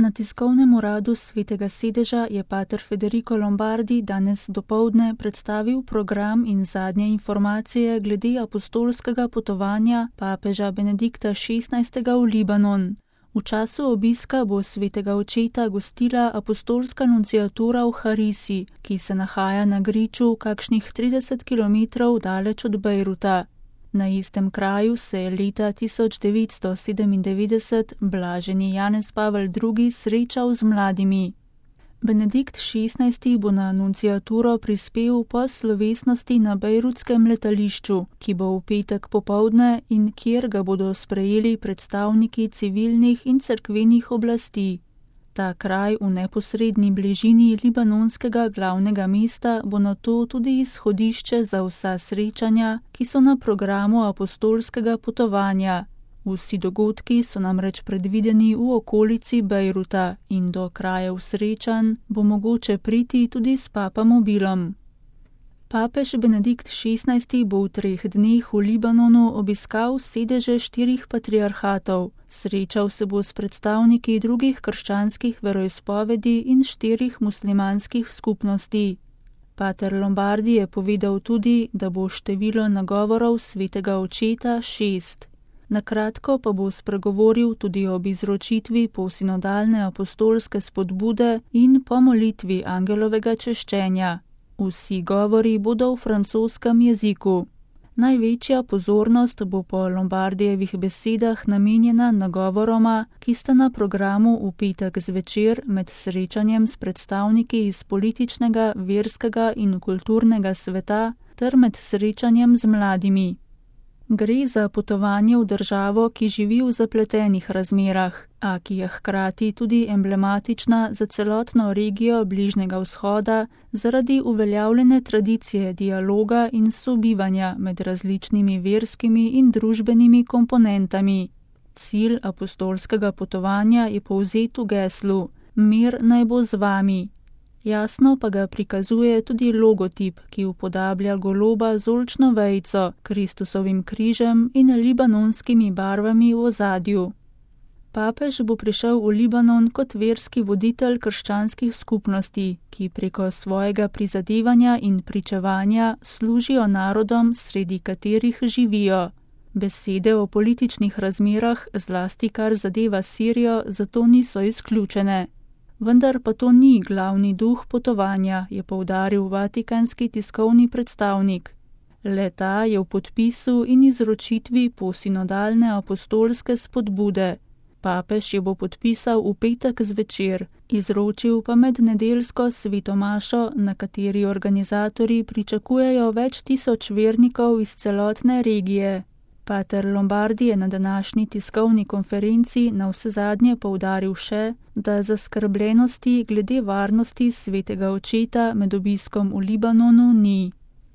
Na tiskovnem uradu Svetega sedeža je pater Federico Lombardi danes dopoldne predstavil program in zadnje informacije glede apostolskega potovanja papeža Benedikta XVI. V Libanon. V času obiska bo svetega očeta gostila apostolska nunciatura v Harisi, ki se nahaja na griču kakšnih 30 km daleč od Bejruta. Na istem kraju se je leta 1997 blaženi Janez Pavel II. Srečal z mladimi. Benedikt XVI. Bo na nunciaturo prispel po slovesnosti na bejrutskem letališču, ki bo v petek popoldne in kjer ga bodo sprejeli predstavniki civilnih in cerkvenih oblasti. Ta kraj v neposredni bližini libanonskega glavnega mesta bo nato tudi izhodišče za vsa srečanja, ki so na programu apostolskega potovanja. Vsi dogodki so namreč predvideni v okolici Bejruta in do krajev srečanj bo mogoče priti tudi s papamobilom. Papež Benedikt XVI. Bo v 3 dneh v Libanonu obiskal sedeže 4 patriarhatov, srečal se bo s predstavniki drugih krščanskih veroizpovedi in 4 muslimanskih skupnosti. Pater Lombardi je povedal tudi, da bo število nagovorov svetega očeta 6. Na kratko pa bo spregovoril tudi ob izročitvi posinodalne apostolske spodbude in po molitvi angelovega češčenja. Vsi govori bodo v francoskem jeziku. Največja pozornost bo po Lombardijevih besedah namenjena nagovoroma, ki sta na programu v petek zvečer med srečanjem s predstavniki iz političnega, verskega in kulturnega sveta ter med srečanjem z mladimi. Gre za potovanje v državo, ki živi v zapletenih razmerah, a ki je hkrati tudi emblematična za celotno regijo Bližnjega vzhoda zaradi uveljavljene tradicije dialoga in sobivanja med različnimi verskimi in družbenimi komponentami. Cilj apostolskega potovanja je povzet v geslu: Mir naj bo z vami. Jasno pa ga prikazuje tudi logotip, ki upodablja goloba z oljčno vejico, Kristusovim križem in libanonskimi barvami v ozadju. Papež bo prišel v Libanon kot verski voditelj krščanskih skupnosti, ki preko svojega prizadevanja in pričevanja služijo narodom, sredi katerih živijo. Besede o političnih razmerah, zlasti kar zadeva Sirijo, zato niso izključene. Vendar pa to ni glavni duh potovanja, je poudaril vatikanski tiskovni predstavnik. Le-ta je v podpisu in izročitvi posinodalne apostolske spodbude. Papež jo bo podpisal v petek zvečer, izročil pa med nedeljsko sveto mašo, na kateri organizatorji pričakujejo več tisoč vernikov iz celotne regije. Pater Lombardi je na današnji tiskovni konferenci navsezadnje poudaril še, da zaskrbljenosti glede varnosti svetega očeta med obiskom v Libanonu ni.